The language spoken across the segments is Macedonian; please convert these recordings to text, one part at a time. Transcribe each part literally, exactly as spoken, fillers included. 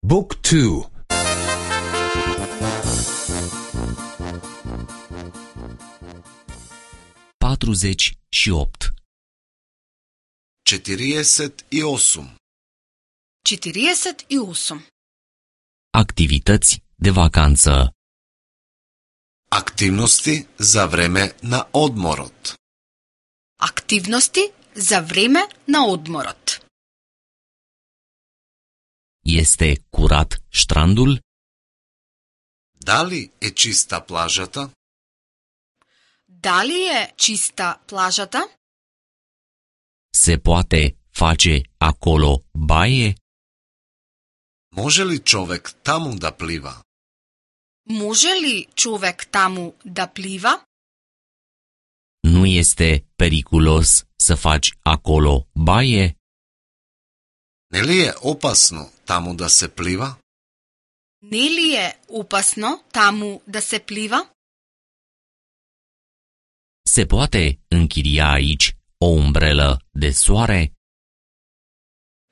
Book two. patruzeci și opt. четириесет и осум. четириесет и осум. Activități de vacanță. Активности за време на одморот. Активности за време на одморот. Este curat strandul? Дали е чиста плажата? Дали е чиста плажата? Se poate face acolo baie? Може ли човек таму да плива? Може ли човек таму да плива? Nu este periculos să faci acolo baie? Не ли е опасно таму да се плива? Не ли е опасно таму да се плива? Se poate închiria aici o umbrelă de soare?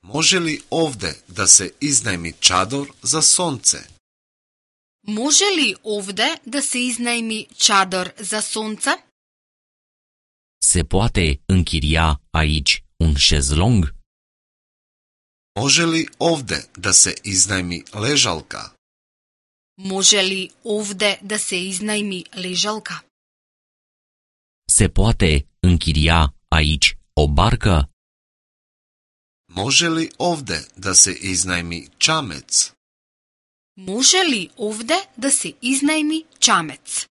Може ли овде да се изнајми чадор за сонце? Може ли овде да се изнајми чадор за сонце? Se poate închiria aici un șezlong? Може ли овде да се изнајми лежалка? Може ли овде да се изнајми лежалка? Se poate închiria aici o barcă? Може ли овде да се изнајми чамец? Може ли овде да се изнајми чамец?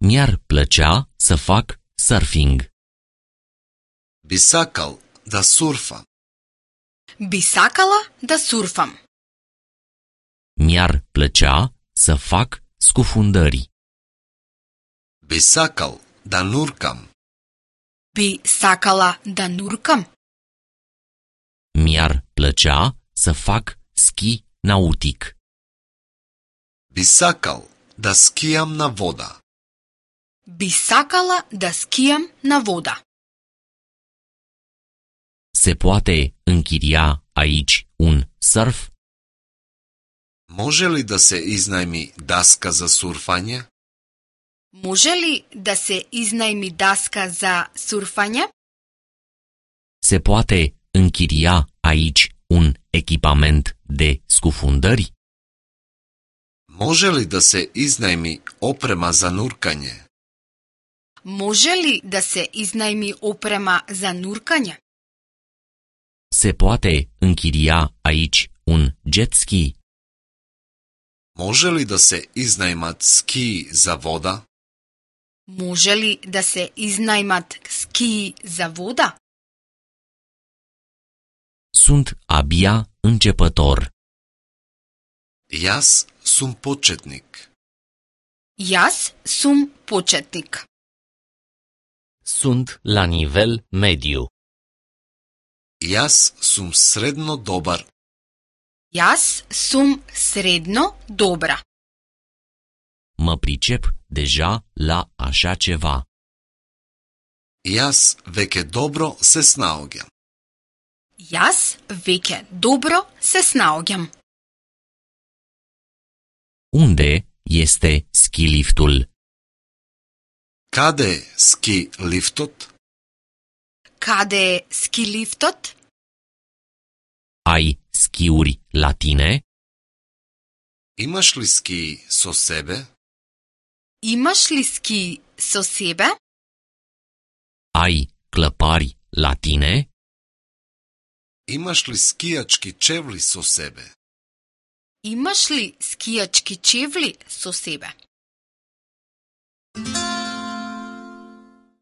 Mi-ar plăcea să fac surfing. Би сакал да сурфа. Би сакала да сурфам. Mi-ar plăcea să fac scufundări. Би сакал да нуркам. Би сакала да нуркам. Mi-ar plăcea să fac schi nautic. Би сакал да скијам на вода. Би сакала да скијам на вода. Se poate închiria aici un surf? Може ли да се изнајми даска за сурфање? Може ли да се изнајми даска за сурфање? Se poate închiria aici un echipament de scufundări? Може ли да се изнајми опрема за нуркање? Може ли да се изнајми опрема за нуркање? Se poate închiria aici un jet ski? Може ли да се изнајмат скии за вода? Може ли да се изнајмат скии за вода? Sunt abia începător. Јас сум почетник. Јас сум почетник. Sunt la nivel mediu. Јас сум средно добар. Јас сум средно добра. Mă pricep deja la așa ceva. Јас веќе добро се снаоѓам. Јас веќе добро се снаоѓам. Unde este skiliftul? Каде е ски лифтот? Каде е скилифтот? Ai schiuri la tine? Имаш ли ски со себе? Имаш ли ски со себе? Ai clăpari la tine? Имаш ли скијачки чевли со себе? Имаш ли скијачки чевли со себе?